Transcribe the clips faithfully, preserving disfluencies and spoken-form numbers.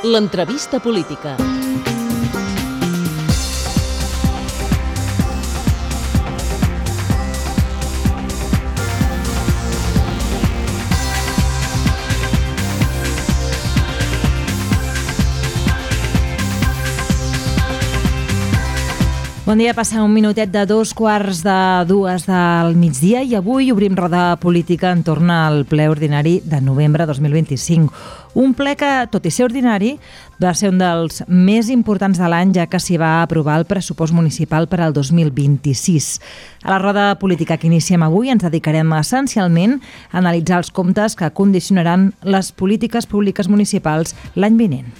L'entrevista política. Bon dia, passa un minutet de dos quarts de dues del migdia i avui obrim roda política entorn al ple ordinari de novembre dos mil vint-i-cinc. Un ple que, tot i ser ordinari, va ser un dels més importants de l'any, ja que s'hi va aprovar el pressupost municipal per al dos mil vint-i-sis. A la roda política que iniciem avui ens dedicarem essencialment a analitzar els comptes que condicionaran les polítiques públiques municipals l'any vinent.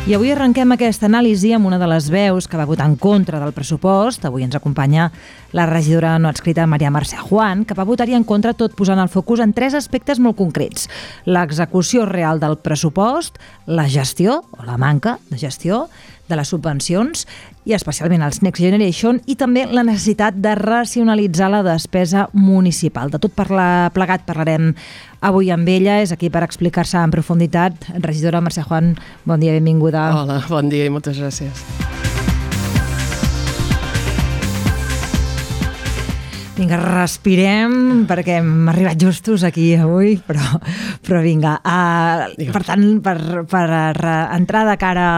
I avui arrenquem aquesta anàlisi amb una de les veus que va votar en contra del pressupost. Avui ens acompanya la regidora no adscrita Maria Mercè Juan, que va votar-hi en contra tot posant el focus en tres aspectes molt concrets. L'execució real del pressupost, la gestió, o la manca de gestió, de les subvencions, i especialment els Next Generation, i també la necessitat de racionalitzar la despesa municipal. De tot parlar, plegat parlarem avui amb ella, és aquí per explicar-se en profunditat. Regidora Mercè Juan, bon dia, benvinguda. Hola, bon dia i moltes gràcies. Vinga, respirem, perquè hem arribat justos aquí avui, però, però vinga. Uh, per tant, per, per entrar de cara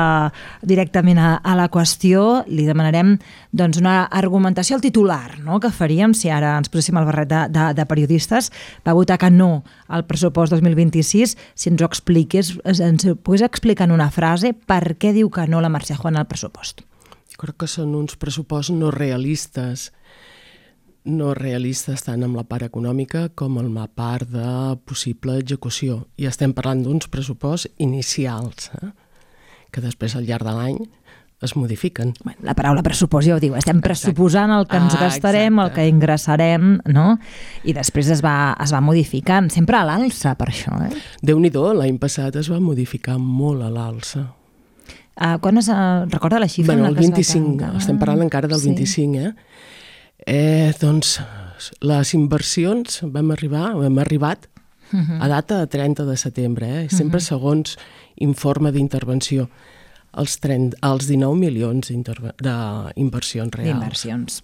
directament a, a la qüestió, li demanarem doncs, una argumentació al titular, no?, que faríem si ara ens poséssim el barret de, de, de periodistes. Va votar que no al pressupost dos mil vint-i-sis. Si ens ho expliqués, ens ho pogués explicar en una frase per què diu que no la Mercè Juan al pressupost. Jo crec que són uns pressupostos no realistes, no realistes tant amb la part econòmica com amb la part de possible execució. I estem parlant d'uns pressupostos inicials, eh? que després al llarg de l'any es modifiquen. Bueno, la paraula pressupost ja ho diu, estem pressuposant el que ens ah, gastarem, exacte. El que ingressarem, no? I després es va, es va modificant, sempre a l'alça per això. Eh? Déu-n'hi-do, l'any passat es va modificar molt a l'alça. Uh, quan es uh, recorda la xifra? Bueno, el vint-i-cinc, estem parlant encara del sí. vint-i-cinc, eh? Eh, doncs les inversions vam arribar, hem arribat uh-huh. a data de trenta de setembre, eh? sempre uh-huh. segons informe d'intervenció, els, trenta, els dinou milions d'inversions reals. D'inversions.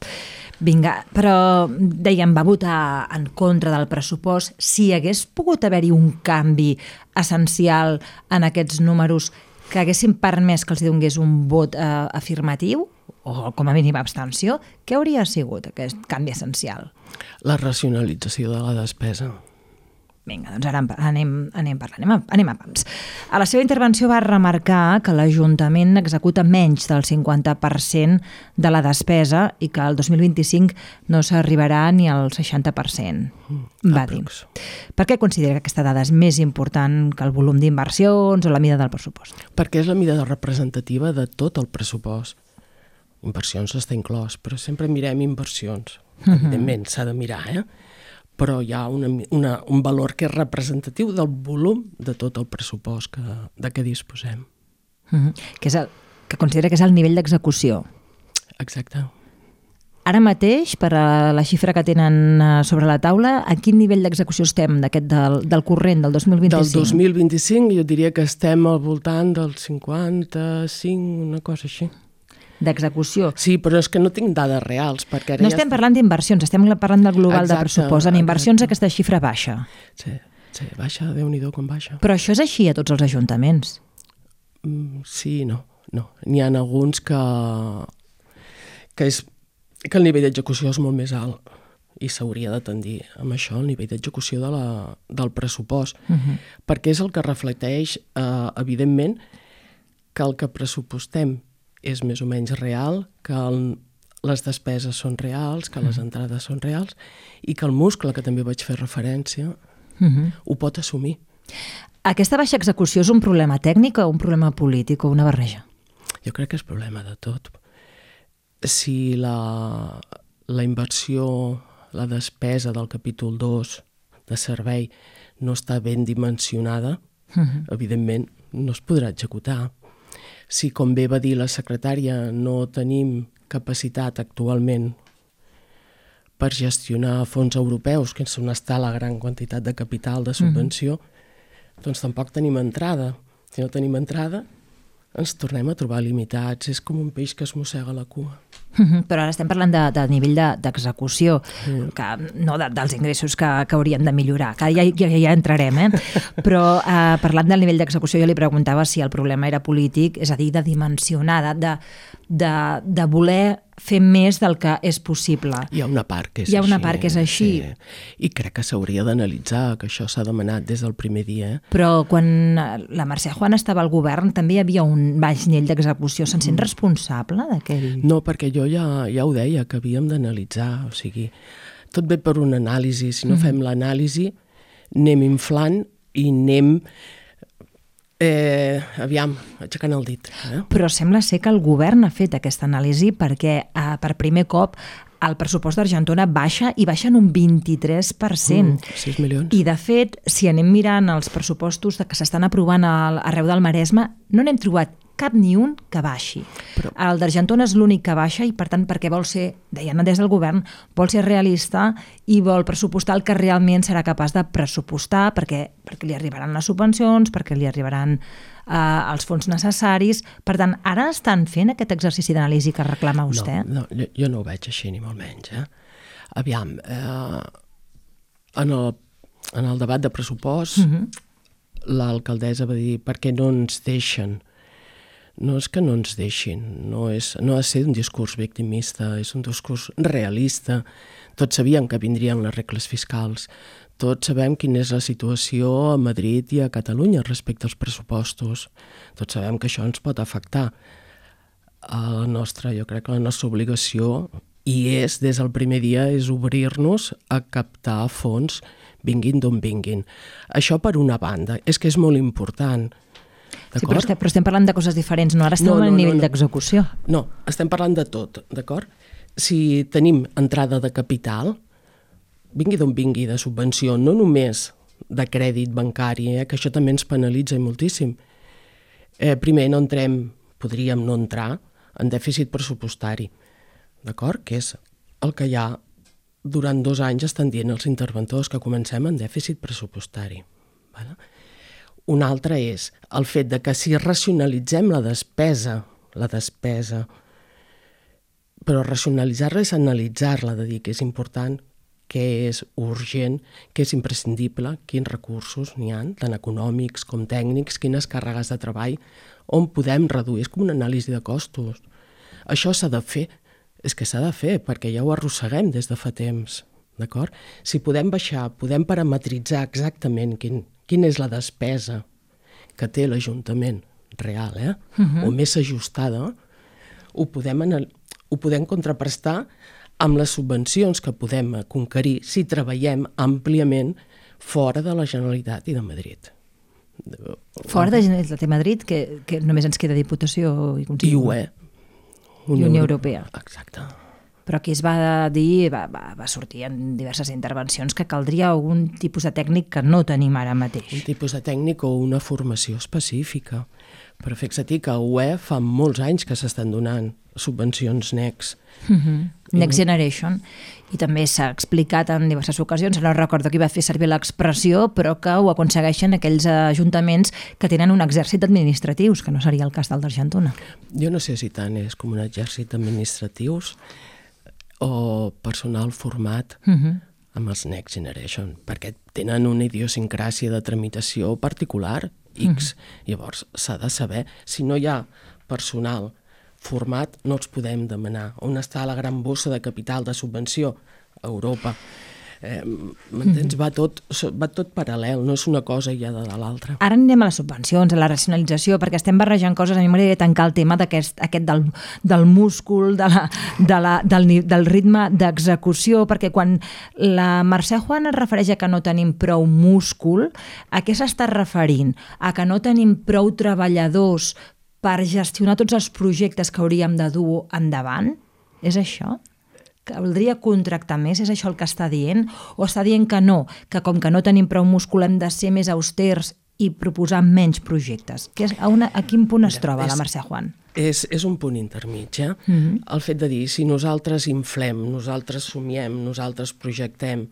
Vinga, però dèiem, va votar en contra del pressupost. Si hagués pogut haver-hi un canvi essencial en aquests números que haguessin permès que els donés un vot eh, afirmatiu, o com a mínim abstenció, què hauria sigut aquest canvi essencial? La racionalització de la despesa. Vinga, doncs ara anem, anem parlant, anem a, anem a pams. A la seva intervenció va remarcar que l'Ajuntament executa menys del cinquanta per cent de la despesa i que el dos mil vint-i-cinc no s'arribarà ni al seixanta per cent, va dir. Per què considera que aquesta dada és més important que el volum d'inversions o la mida del pressupost? Perquè és la mida representativa de tot el pressupost. Inversions està inclòs, però sempre mirem inversions. Uh-huh. Evidentment, s'ha de mirar, eh? Però hi ha una, una, un valor que és representatiu del volum de tot el pressupost que, de què disposem. Uh-huh. Que, és el, que considera que és el nivell d'execució. Exacte. Ara mateix, per a la xifra que tenen sobre la taula, a quin nivell d'execució estem d'aquest del, del corrent, del dos mil vint-i-cinc? Del dos mil vint-i-cinc jo diria que estem al voltant del cinquanta-cinc, una cosa així. D'execució. Sí, però és que no tinc dades reals. Perquè ara no ja estem parlant d'inversions, estem parlant del global exacte, de pressupost. En inversions exacte. Aquesta xifra baixa. Sí, sí, baixa, Déu-n'hi-do com baixa. Però això és així a tots els ajuntaments? Mm, sí, no. no. N'hi ha alguns que, que, és, que el nivell d'execució és molt més alt i s'hauria de tendir amb això, el nivell d'execució de la, del pressupost, uh-huh. perquè és el que reflecteix, eh, evidentment, que el que pressupostem és més o menys real, que el, les despeses són reals, que les entrades són reals i que el muscle, que també vaig fer referència, uh-huh. ho pot assumir. Aquesta baixa execució és un problema tècnic o un problema polític o una barreja? Jo crec que és problema de tot. Si la, la inversió, la despesa del capítol dos de servei no està ben dimensionada, uh-huh. evidentment no es podrà executar. Si, com bé va dir la secretària, no tenim capacitat actualment per gestionar fons europeus, que és on està la gran quantitat de capital de subvenció, doncs tampoc tenim entrada. Si no tenim entrada, ens tornem a trobar limitats. És com un peix que es mossega la cua. Però ara estem parlant de, de nivell de, d'execució, Mm. que, no de, dels ingressos que, que hauríem de millorar, que ja, ja, ja entrarem, eh? Però eh, parlant del nivell d'execució, jo li preguntava si el problema era polític, és a dir, de dimensionar, de, de, de voler fer més del que és possible. Hi ha una part que és Hi ha una així, part que és així. Sí. I crec que s'hauria d'analitzar, que això s'ha demanat des del primer dia. Eh? Però quan la Mercè Juan estava al govern també hi havia un baix nivell d'execució. Se'n sent responsable d'aquell? No, perquè jo ja, ja ho deia, que havíem d'analitzar. O sigui, tot ve per una anàlisi. Si no mm. fem l'anàlisi, anem inflant i anem... Eh, aviam, aixecant el dit. Eh? Però sembla ser que el govern ha fet aquesta anàlisi perquè eh, per primer cop el pressupost d'Argentona baixa i baixa en un vint-i-tres per cent. Mm, sis milions. I de fet, si anem mirant els pressupostos que s'estan aprovant al, arreu del Maresme, no n'hem trobat cap ni un que baixi. Però... El d'Argentona és l'únic que baixa i, per tant, perquè vol ser, deien des del govern, vol ser realista i vol pressupostar el que realment serà capaç de pressupostar perquè, perquè li arribaran les subvencions, perquè li arribaran eh, els fons necessaris. Per tant, ara estan fent aquest exercici d'anàlisi que reclama vostè? No, no jo, jo no ho veig així, ni molt menys. Eh? Aviam, eh, en, el, en el debat de pressupost, uh-huh. l'alcaldessa va dir per què no ens deixen. No és que no ens deixin, no, és, no ha de ser un discurs victimista, és un discurs realista. Tots sabíem que vindrien les regles fiscals, tots sabem quina és la situació a Madrid i a Catalunya respecte als pressupostos, tots sabem que això ens pot afectar. La nostra, jo crec que la nostra obligació, i és des del primer dia, és obrir-nos a captar fons, vinguin d'on vinguin. Això per una banda, és que és molt important. Sí, però estem, però estem parlant de coses diferents, no? Ara estem no, no, al nivell no, no. d'execució. No, estem parlant de tot, d'acord? Si tenim entrada de capital, vingui d'on vingui, de subvenció, no només de crèdit bancari, eh, que això també ens penalitza moltíssim. Eh, primer, no entrem, podríem no entrar en dèficit pressupostari, d'acord? Que és el que ja durant dos anys estan dient els interventors, que comencem en dèficit pressupostari. Vale? Un altre és el fet de que si racionalitzem la despesa, la despesa, però racionalitzar-la és analitzar-la, de dir que és important, que és urgent, que és imprescindible, quins recursos n'hi ha, tant econòmics com tècnics, quines càrregues de treball, on podem reduir. És com una anàlisi de costos. Això s'ha de fer, és que s'ha de fer, perquè ja ho arrosseguem des de fa temps, d'acord? Si podem baixar, podem parametritzar exactament quin quina és la despesa que té l'Ajuntament real, eh? Uh-huh. o més ajustada, ho podem, ho podem contraprestar amb les subvencions que podem conquerir si treballem àmpliament fora de la Generalitat i de Madrid. Fora de la Generalitat i Madrid, que, que només ens queda Diputació i Consell. I U E. Unió, Unió Europea. Exacte. Però aquí es va dir, va, va, va sortir en diverses intervencions que caldria algun tipus de tècnic que no tenim ara mateix. Un tipus de tècnic o una formació específica. Però fixa-t'hi que a U E fa molts anys que s'estan donant subvencions Next. Uh-huh. Next Generation. I també s'ha explicat en diverses ocasions, no recordo qui va fer servir l'expressió, però que ho aconsegueixen aquells ajuntaments que tenen un exèrcit administratius, que no seria el cas del d'Argentona. Jo no sé si tant és com un exèrcit d'administratius o personal format uh-huh. amb els Next Generation, perquè tenen una idiosincràsia de tramitació particular, X. Uh-huh. Llavors, s'ha de saber, si no hi ha personal format, no els podem demanar. On està la gran bossa de capital de subvenció? A Europa. Eh, m'entens? Va tot, va tot paral·lel, no és una cosa ja de l'altra. Ara anirem a les subvencions, a la racionalització, perquè estem barrejant coses. A mi m'agradaria tancar el tema d'aquest aquest del, del múscul, de la, de la, del, del ritme d'execució, perquè quan la Mercè Juan es refereix a que no tenim prou múscul, a què s'està referint? A que no tenim prou treballadors per gestionar tots els projectes que hauríem de dur endavant? És això? Caldria contractar més? És això el que està dient? O està dient que no, que com que no tenim prou múscul hem de ser més austers i proposar menys projectes? Que és, a, una, a quin punt es troba la Mercè Juan? És, és un punt intermig, eh? Mm-hmm. El fet de dir, si nosaltres inflem, nosaltres somiem, nosaltres projectem,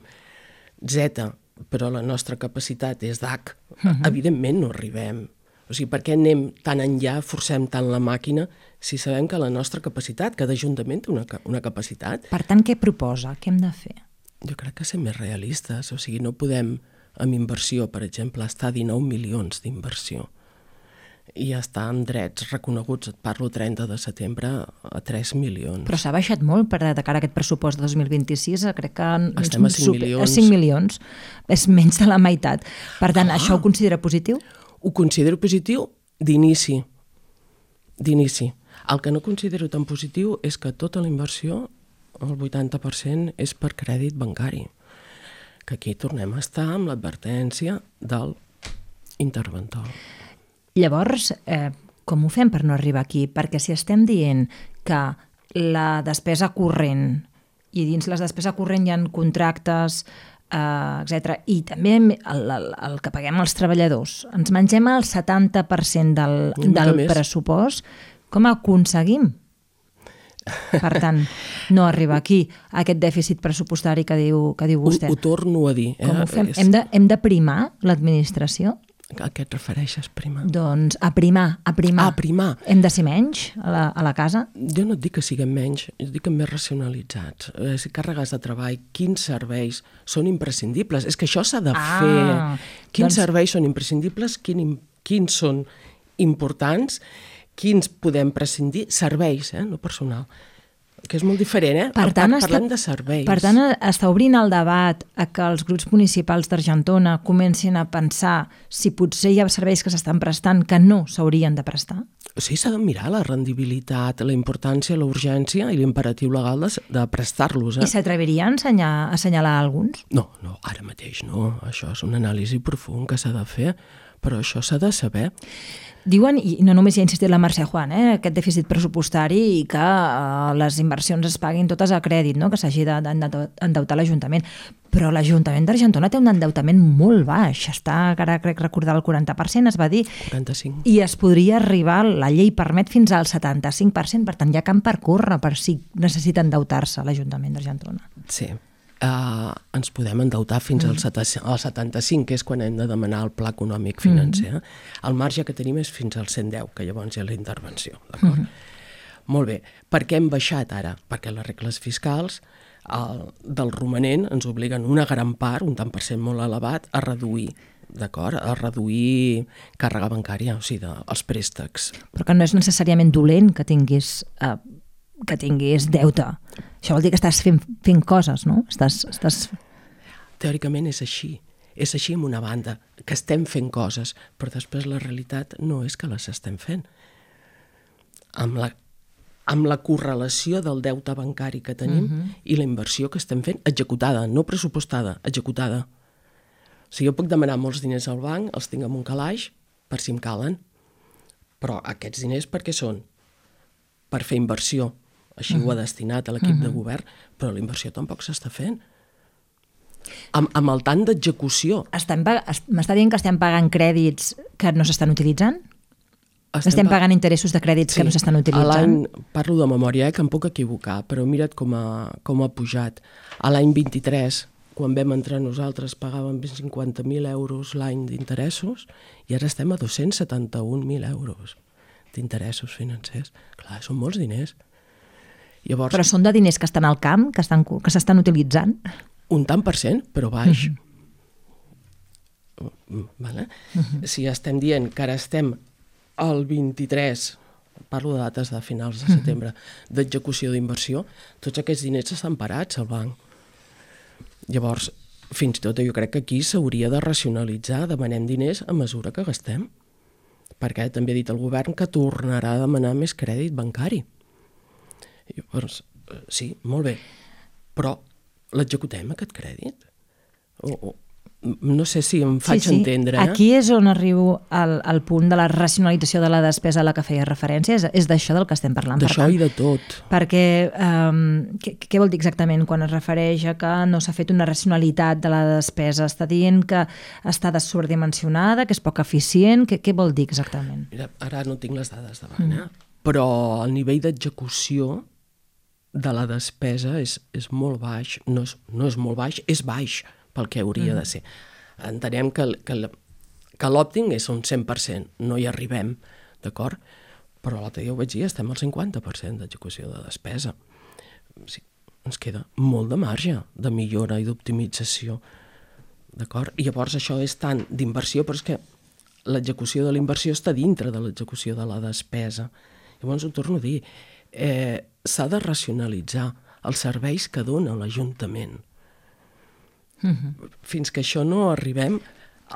Z, però la nostra capacitat és d'H, uh-huh. evidentment no arribem. O sigui, per què anem tan enllà, forcem tant la màquina, si sabem que la nostra capacitat, cada ajuntament té una, una capacitat... Per tant, què proposa? Què hem de fer? Jo crec que ser més realistes. O sigui, no podem, amb inversió, per exemple, estar a dinou milions d'inversió i estar amb drets reconeguts, et parlo trenta de setembre, a tres milions. Però s'ha baixat molt per de cara a aquest pressupost de dos mil vint-i-sis, crec que... Estem a cinc milions. A cinc milions. És menys de la meitat. Per tant, ah. això ho considera positiu? Ho considero positiu d'inici. D'inici. El que no considero tan positiu és que tota la inversió, el vuitanta per cent, és per crèdit bancari. Que aquí tornem a estar amb l'advertència del interventor. Llavors, eh, com ho fem per no arribar aquí? Perquè si estem dient que la despesa corrent, i dins la despesa corrent hi ha contractes, eh, etcètera, i també el, el, el que paguem als treballadors, ens mengem el setanta per cent del, del pressupost, com aconseguim? Per tant, no arriba aquí, a aquest dèficit pressupostari que diu, que diu vostè. Ho, ho torno a dir. Eh? Com ho fem? És... Hem de, hem de primar l'administració? A què et refereixes, primar? Doncs a primar, a primar. A primar. Hem de ser menys a la, a la casa? Jo no et dic que siguem menys, jo dic que més racionalitzats. Eh, càrregues de treball, quins serveis són imprescindibles? És que això s'ha de ah, fer. Quins doncs... serveis són imprescindibles? Quin, quins són importants? Quins podem prescindir? Serveis, eh? No personal. Que és molt diferent, eh? Per tant, Parlem està, de serveis. Per tant, està obrint el debat a que els grups municipals d'Argentona comencin a pensar si potser hi ha serveis que s'estan prestant que no s'haurien de prestar? Sí, s'ha de mirar la rendibilitat, la importància, la urgència i l'imperatiu legal de, de prestar-los. Eh? I s'atreviria a assenyalar, a assenyalar alguns? No, no, ara mateix no. Això és una anàlisi profund que s'ha de fer, però això s'ha de saber. Diuen, i no només hi ha insistit la Mercè Juan, eh, aquest dèficit pressupostari i que eh, les inversions es paguin totes a crèdit, no? Que s'hagi d'endeutar l'Ajuntament. Però l'Ajuntament d'Argentona té un endeutament molt baix. Està, ara crec recordar, el quaranta per cent, es va dir. quaranta-cinc. I es podria arribar, la llei permet fins al setanta-cinc per cent, per tant hi ha camp per córrer per si necessita endeutar-se l'Ajuntament d'Argentona. Sí. Uh, ens podem endeutar fins mm. al setanta-cinc, que és quan hem de demanar el pla econòmic financer. Mm. El marge que tenim és fins al cent deu, que llavors hi ha la intervenció. D'acord? Mm. Molt bé. Per què hem baixat ara? Perquè les regles fiscals el, del romanent ens obliguen una gran part, un tant per cent molt elevat, a reduir, d'acord? A reduir càrrega bancària, o sigui, de, els préstecs. Però que no és necessàriament dolent que tinguis... Uh... que tinguis deute. Això vol dir que estàs fent, fent coses, no? Estàs, estàs... Teòricament és així. És així amb una banda, que estem fent coses, però després la realitat no és que les estem fent. Amb la, amb la correlació del deute bancari que tenim uh-huh. i la inversió que estem fent, executada, no pressupostada, executada. O sigui, jo puc demanar molts diners al banc, els tinc en un calaix, per si em calen, però aquests diners per què són? Per fer inversió. Així uh-huh. ho ha destinat a l'equip uh-huh. de govern, però la inversió tampoc s'està fent. Amb, amb el tant d'execució. M'està dient que estem pagant crèdits que no s'estan utilitzant? Estem, estem pagant interessos de crèdits sí, que no s'estan utilitzant? Parlo de memòria, eh, que em puc equivocar, però mira't com ha, com ha pujat. A l'any vint-i-tres, quan vam entrar nosaltres, pagàvem cinquanta mil euros l'any d'interessos i ara estem a dos-cents setanta-un mil euros d'interessos financers. Clar, són molts diners. Llavors, però són de diners que estan al camp, que estan, que s'estan utilitzant? Un tant per cent, però baix. Uh-huh. Vale? Uh-huh. Si estem dient que ara estem al vint-i-tres, parlo de dates de finals de setembre, uh-huh. d'execució d'inversió, tots aquests diners estan parats al banc. Llavors, fins i tot jo crec que aquí s'hauria de racionalitzar, demanem diners a mesura que gastem, perquè també ha dit el govern que tornarà a demanar més crèdit bancari. Llavors, sí, molt bé, però l'executem, aquest crèdit? O, o, no sé si em faig sí, sí. entendre. Eh? Aquí és on arribo al, al punt de la racionalització de la despesa a la que feia referència, és, és d'això del que estem parlant. D'això i de tot. Perquè, um, què, què vol dir exactament quan es refereix a que no s'ha fet una racionalitat de la despesa? Està dient que està sobredimensionada, que és poc eficient? Què, què vol dir exactament? Mira, ara no tinc les dades davant, mm. eh? Però el nivell d'execució de la despesa és, és molt baix, no és, no és molt baix, és baix, pel que hauria mm. de ser. Entenem que, que, que l'òptim és un cent per cent, no hi arribem, d'acord? Però l'altre dia ho vaig dir, estem al cinquanta per cent d'execució de despesa. Sí, ens queda molt de marge de millora i d'optimització, d'acord? I llavors això és tant d'inversió, però és que l'execució de la inversió està dintre de l'execució de la despesa. Llavors ho torno a dir, eh, s'ha de racionalitzar els serveis que dona l'Ajuntament. Uh-huh. Fins que això no arribem,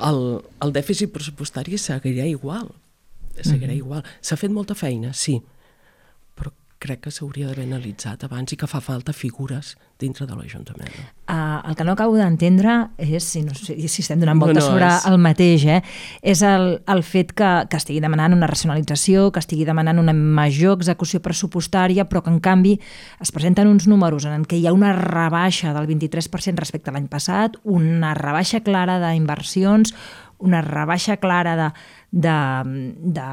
el, el dèficit pressupostari seguirà igual. Seguirà uh-huh. igual. S'ha fet molta feina, sí, però crec que s'hauria d'haver analitzat abans i que fa falta figures dintre de l'Ajuntament. Uh, el que no acabo d'entendre és, si, no, si estem donant voltes no, no, sobre és... el mateix, eh, és el, el fet que, que estigui demanant una racionalització, que estigui demanant una major execució pressupostària, però que en canvi es presenten uns números en què hi ha una rebaixa del vint-i-tres per cent respecte a l'any passat, una rebaixa clara d'inversions, una rebaixa clara de, de, de,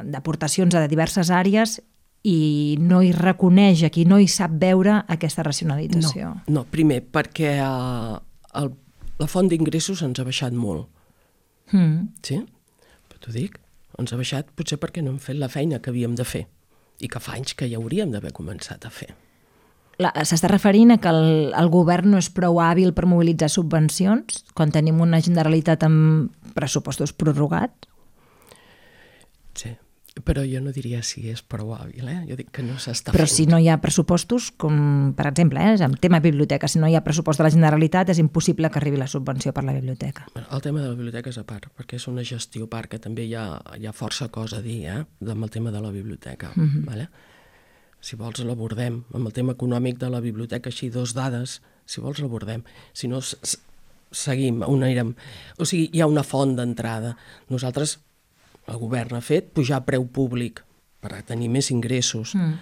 d'aportacions a diverses àrees, i no hi reconeix aquí, no hi sap veure aquesta racionalització. No, no primer, perquè uh, el, la font d'ingressos ens ha baixat molt. Mm. Sí? Però t'ho dic, ens ha baixat potser perquè no hem fet la feina que havíem de fer i que fa anys que ja hauríem d'haver començat a fer. S'està referint a que el, el govern no és prou hàbil per mobilitzar subvencions quan tenim una Generalitat amb pressupostos prorrogats? Sí. Però jo no diria si és prou hàbil, eh? Jo dic que no s'està Però fent. si no hi ha pressupostos, com per exemple, eh, en tema biblioteca, si no hi ha pressupost de la Generalitat és impossible que arribi la subvenció per la biblioteca. El tema de la biblioteca és a part, perquè és una gestió a part, que també hi ha, hi ha força cosa a dir, eh? Amb el tema de la biblioteca. Mm-hmm. Vale? Si vols l'abordem, amb el tema econòmic de la biblioteca, així dos dades, si vols l'abordem. Si no, seguim, on anirem. O sigui, hi ha una font d'entrada. Nosaltres... El govern ha fet pujar preu públic per a tenir més ingressos, mm.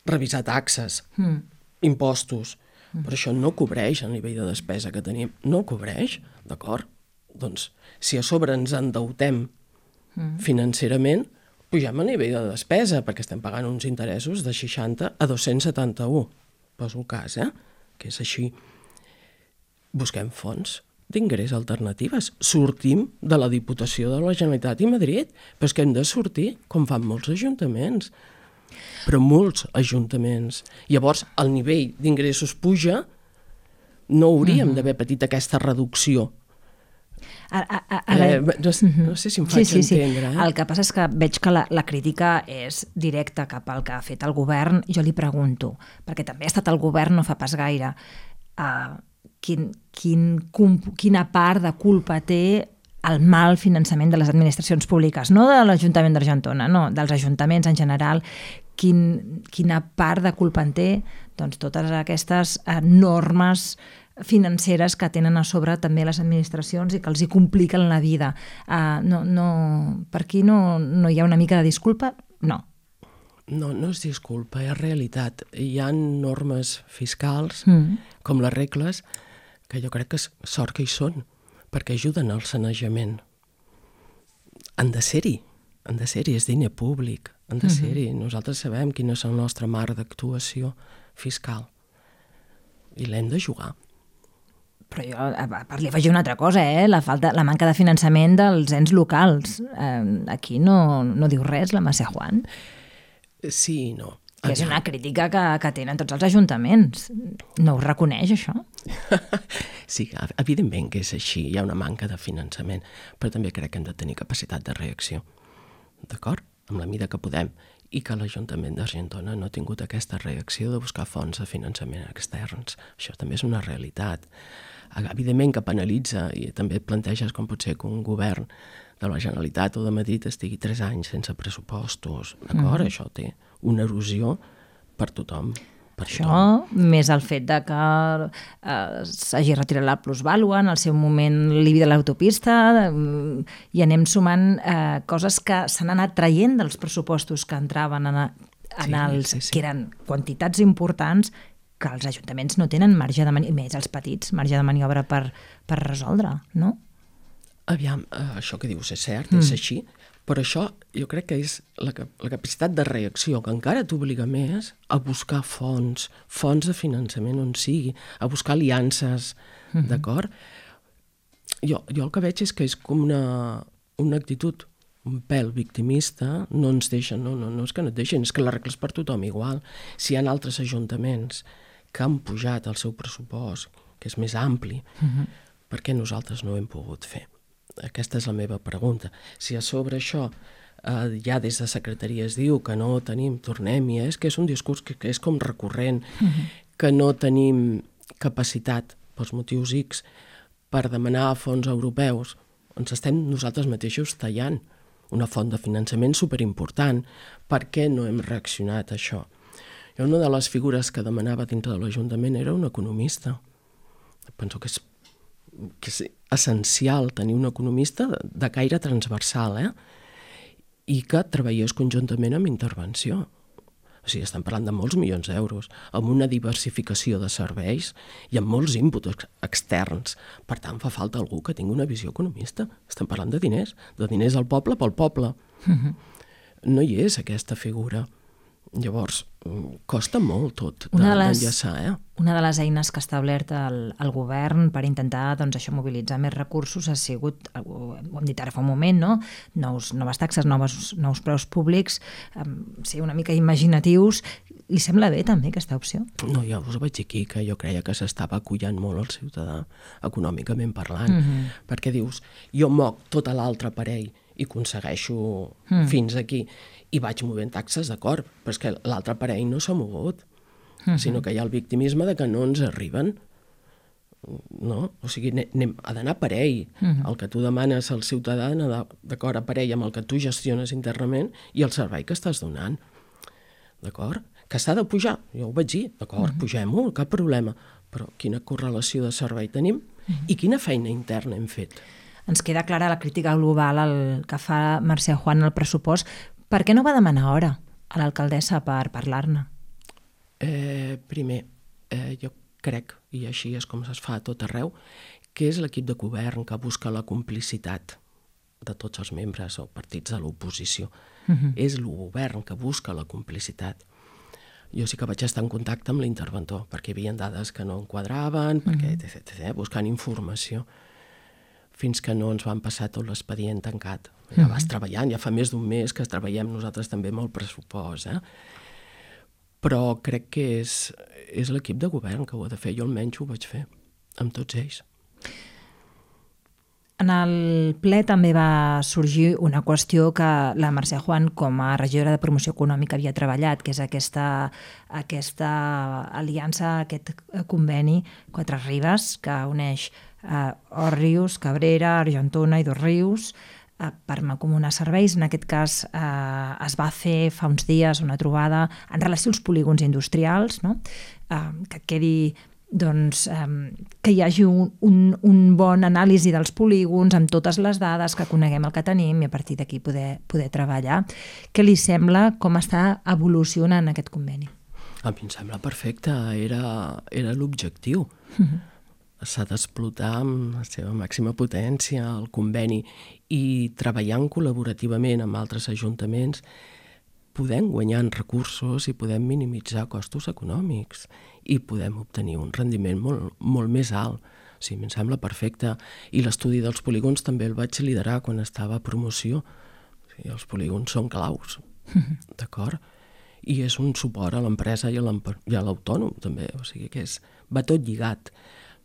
revisar taxes, mm. impostos, mm. però això no cobreix el nivell de despesa que tenim. No cobreix, d'acord? Doncs si a sobre ens endeutem mm. financerament, pugem el nivell de despesa, perquè estem pagant uns interessos de seixanta a dos-cents setanta-u. Poso el cas, eh? Que és així. Busquem fons d'ingrés alternatives. Sortim de la Diputació de la Generalitat i Madrid, però és que hem de sortir, com fan molts ajuntaments. Però molts ajuntaments. Llavors, el nivell d'ingressos puja, no hauríem mm-hmm. d'haver patit aquesta reducció. Ara, ara... Eh, no, no sé si em faig sí, sí, entendre. Sí. Eh? El que passa és que veig que la, la crítica és directa cap al que ha fet el govern. Jo li pregunto, perquè també ha estat el govern no fa pas gaire, uh, Quin, quin, quina part de culpa té el mal finançament de les administracions públiques, no de l'Ajuntament d'Argentona, no, dels ajuntaments en general, quin, quina part de culpa en té doncs, totes aquestes eh, normes financeres que tenen a sobre també les administracions i que els hi compliquen la vida. Uh, no, no, per aquí no, no hi ha una mica de disculpa? No. No, no és disculpa, és realitat. Hi ha normes fiscals, mm. com les regles, que jo crec que és sort que hi són, perquè ajuden al sanejament. Han de ser-hi, han de ser-hi, és diner públic, han de mm-hmm. ser-hi. Nosaltres sabem quin és el nostre marc d'actuació fiscal i l'hem de jugar. Però jo, a part, li afegir una altra cosa, eh? la, falta, la manca de finançament dels ens locals. Eh, aquí no, no diu res la Mercè Juan. Sí i no. Que és una crítica que, que tenen tots els ajuntaments. No ho reconeix, això? Sí, evidentment que és així. Hi ha una manca de finançament, però també crec que hem de tenir capacitat de reacció. D'acord? Amb la mida que podem. I que l'Ajuntament d'Argentona no ha tingut aquesta reacció de buscar fonts de finançament externs. Això també és una realitat. Evidentment que penalitza, i també et planteges com pot ser que un govern de la Generalitat o de Madrid estigui tres anys sense pressupostos. D'acord? Mm. Això té una erosió per tothom. Per Això, tothom. Més el fet de que eh, s'hagi retirat la plusvàlua, en el seu moment l'I B I de l'autopista, eh, i anem sumant eh, coses que s'han anat traient dels pressupostos que entraven en, en sí, els, sí, sí. que eren quantitats importants que els ajuntaments no tenen marge de maniobra, més els petits, marge de maniobra per, per resoldre, no? Aviam, això que dius és cert, mm. és així, però això jo crec que és la, la capacitat de reacció, que encara t'obliga més a buscar fonts, fonts de finançament on sigui, a buscar aliances uh-huh. d'acord? Jo, jo el que veig és que és com una, una actitud un pèl victimista, no ens deixen, no, no, no és que no et deixen, és que la regla és per tothom igual. Si hi ha altres ajuntaments que han pujat el seu pressupost, que és més ampli, uh-huh. per què nosaltres no ho hem pogut fer? Aquesta és la meva pregunta. Si a sobre això eh, ja des de secretaria es diu que no tenim, tornem-hi, eh? És que és un discurs que, que és com recurrent, uh-huh. que no tenim capacitat, pels motius X, per demanar fons europeus, ens estem nosaltres mateixos tallant una font de finançament superimportant. Per què no hem reaccionat a això? Jo una de les figures que demanava dintre de l'Ajuntament era un economista. Penso que és, que és essencial tenir un economista de, de caire transversal, eh? I que treballés conjuntament amb intervenció. O sigui, estem parlant de molts milions d'euros, amb una diversificació de serveis i amb molts inputs externs. Per tant, fa falta algú que tingui una visió economista. Estem parlant de diners, de diners al poble pel poble. Uh-huh. No hi és aquesta figura. Llavors, costa molt tot d'enllaçar, eh? Una de les eines que ha establert el, el govern per intentar doncs, això, mobilitzar més recursos ha sigut, ho hem dit ara fa un moment, no? Nous, noves taxes, noves, nous preus públics, um, sí, una mica imaginatius. Li sembla bé també aquesta opció? No, ja us ho vaig dir aquí, que jo creia que s'estava acollant molt el ciutadà econòmicament parlant, uh-huh. perquè dius, jo moc tota l'altre aparell i aconsegueixo mm. fins aquí i vaig movent taxes, d'acord, però és que l'altre aparell no s'ha mogut, mm-hmm. sinó que hi ha el victimisme de que no ens arriben, no? O sigui, anem, ha d'anar parell. Mm-hmm. El que tu demanes al ciutadà ha d'anar d'acord a parell amb el que tu gestiones internament i el servei que estàs donant, d'acord? Que s'ha de pujar, jo ho vaig dir, d'acord, mm-hmm. pugem-ho, cap problema, però quina correlació de servei tenim mm-hmm. i quina feina interna hem fet? Ens queda clara la crítica global el que fa Mercè Juan al pressupost. Per què no va demanar hora a l'alcaldessa per parlar-ne? Eh, primer, eh, jo crec, i així és com es fa a tot arreu, que és l'equip de govern que busca la complicitat de tots els membres o partits de l'oposició. Uh-huh. És el govern que busca la complicitat. Jo sí que vaig estar en contacte amb l'interventor, perquè hi havia dades que no enquadraven, perquè uh-huh. etc, etc, buscant informació, fins que no ens van passar tot l'expedient tancat. Ja vas treballant, ja fa més d'un mes que treballem nosaltres també amb el pressupost, eh? Però crec que és, és l'equip de govern que ho ha de fer. Jo almenys ho vaig fer amb tots ells. En el ple també va sorgir una qüestió que la Mercè Juan, com a regidora de Promoció Econòmica, havia treballat, que és aquesta, aquesta aliança, aquest conveni Quatre Ribes, que uneix Uh, Òrrius, Cabrera, Argentona i Dosrius uh, per mancomunar serveis. En aquest cas uh, es va fer fa uns dies una trobada en relació als polígons industrials, no? uh, que quedi doncs, um, que hi hagi un, un, un bon anàlisi dels polígons amb totes les dades, que coneguem el que tenim i a partir d'aquí poder, poder treballar. Què li sembla com està evolucionant aquest conveni? A mi em sembla perfecte, era, era l'objectiu. Uh-huh. S'ha d'explotar amb la seva màxima potència el conveni i treballant col·laborativament amb altres ajuntaments podem guanyar en recursos i podem minimitzar costos econòmics i podem obtenir un rendiment molt, molt més alt. O sigui, em sembla perfecte. I l'estudi dels polígons també el vaig liderar quan estava a promoció. O sigui, els polígons són claus, d'acord? I és un suport a l'empresa i a l'autònom també. O sigui que és, va tot lligat.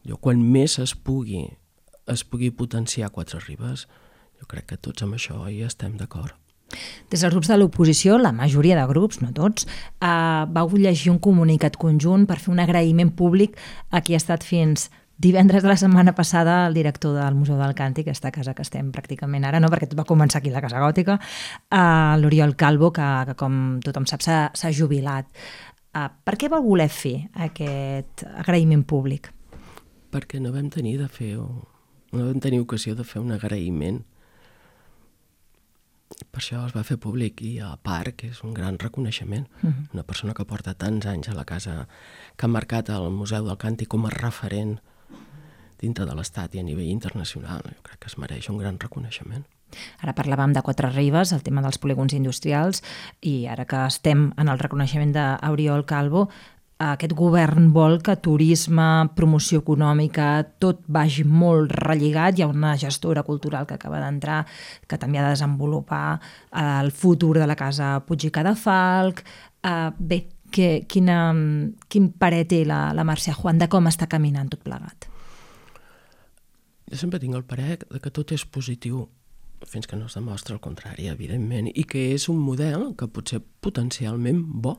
Jo, quan més es pugui, es pugui potenciar Quatre Ribes, jo crec que tots amb això hi estem d'acord. Des dels grups de l'oposició, la majoria de grups, no tots, eh, vau llegir un comunicat conjunt per fer un agraïment públic a qui ha estat fins divendres de la setmana passada el director del Museu del Càntic, aquesta casa que estem pràcticament ara, no, perquè tot va començar aquí la Casa Gòtica, eh, l'Oriol Calvo, que, que com tothom sap s'ha jubilat. Eh, per què vau voler fer aquest agraïment públic? Perquè no vam tenir de fer, no vam tenir ocasió de fer un agraïment. Per això es va fer públic i a part que és un gran reconeixement. Uh-huh. Una persona que porta tants anys a la casa, que ha marcat el Museu del Càntic com a referent dintre de l'Estat i a nivell internacional. Jo crec que es mereix un gran reconeixement. Ara parlàvem de Quatre Ribes, el tema dels polígons industrials, i ara que estem en el reconeixement d'Oriol Calvo, aquest govern vol que turisme, promoció econòmica, tot vagi molt relligat. Hi ha una gestora cultural que acaba d'entrar que també ha de desenvolupar el futur de la Casa Puig i Cadafalch. Uh, bé, que, quina, quin parer té la, la Mercè Juan de com està caminant tot plegat? Jo sempre tinc el parer de que tot és positiu fins que no es demostra el contrari, evidentment, i que és un model que pot ser potencialment bo.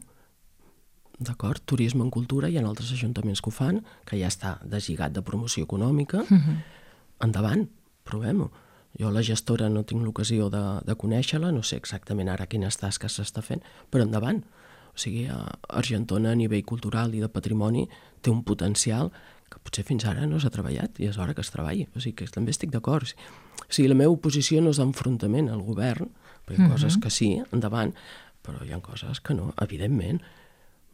D'acord? Turisme en cultura, hi ha altres ajuntaments que ho fan, que ja està deslligat de promoció econòmica. Uh-huh. Endavant, provem-ho. Jo la gestora no tinc l'ocasió de, de conèixer-la, no sé exactament ara quines tasques s'està fent, però endavant. O sigui, Argentona a nivell cultural i de patrimoni té un potencial que potser fins ara no s'ha treballat i és hora que es treballi. O sigui, que també estic d'acord. O sigui, la meva oposició no és d'enfrontament al govern, perquè hi ha uh-huh. coses que sí, endavant, però hi ha coses que no, evidentment,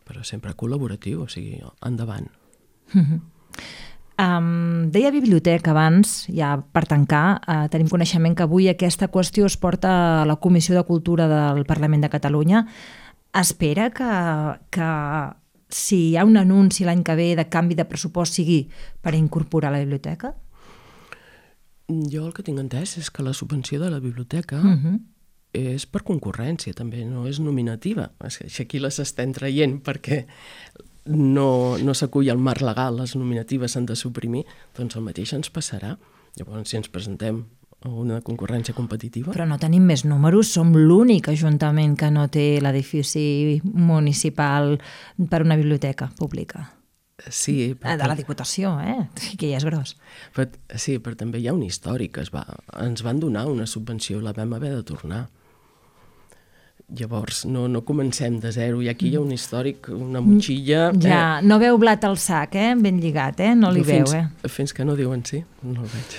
però sempre col·laboratiu, o sigui, endavant. Uh-huh. Um, deia biblioteca abans, ja per tancar, uh, tenim coneixement que avui aquesta qüestió es porta a la Comissió de Cultura del Parlament de Catalunya. Espera que, que si hi ha un anunci l'any que ve de canvi de pressupost sigui per incorporar la biblioteca? Jo el que tinc entès és que la subvenció de la biblioteca uh-huh. és per concurrència, també, no és nominativa. Aquí les estem traient perquè no, no s'acull al marc legal, les nominatives s'han de suprimir, doncs el mateix ens passarà. Llavors, si ens presentem a una concurrència competitiva... Però no tenim més números, som l'únic ajuntament que no té l'edifici municipal per una biblioteca pública. Sí, però... De la Diputació, eh? Que ja és gros. Però, sí, però també hi ha un històric. Es va, ens van donar una subvenció, la vam haver de tornar. Llavors, no, no comencem de zero. I aquí hi ha un històric, una motxilla... Ja, eh? No veu blat al sac, eh? Ben lligat, eh? No li fins, veu, eh? Fins que no diuen sí, no el veig.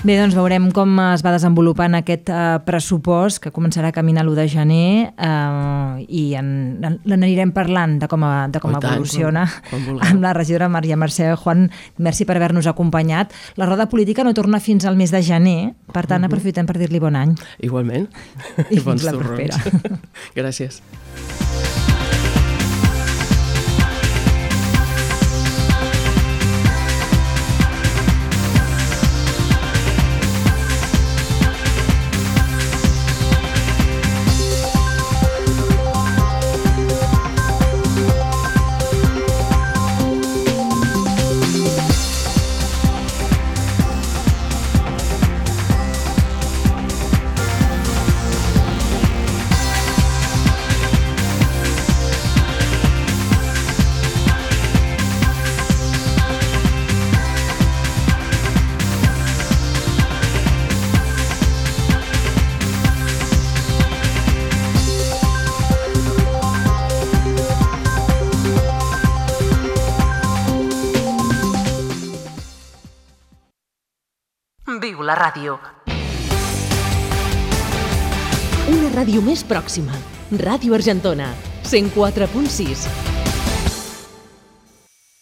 Bé, doncs veurem com es va desenvolupant aquest uh, pressupost que començarà a caminar l'u de gener uh, i en, en, l'anirem parlant de com, a, de com tant, evoluciona quan, quan amb la regidora Maria Mercè Juan. Merci per haver-nos acompanyat. La roda política no torna fins al mes de gener, per tant, uh-huh. aprofitem per dir-li bon any. Igualment. I fins la propera. Gràcies. Viu la ràdio. Una ràdio més pròxima. Ràdio Argentona, cent quatre punt sis.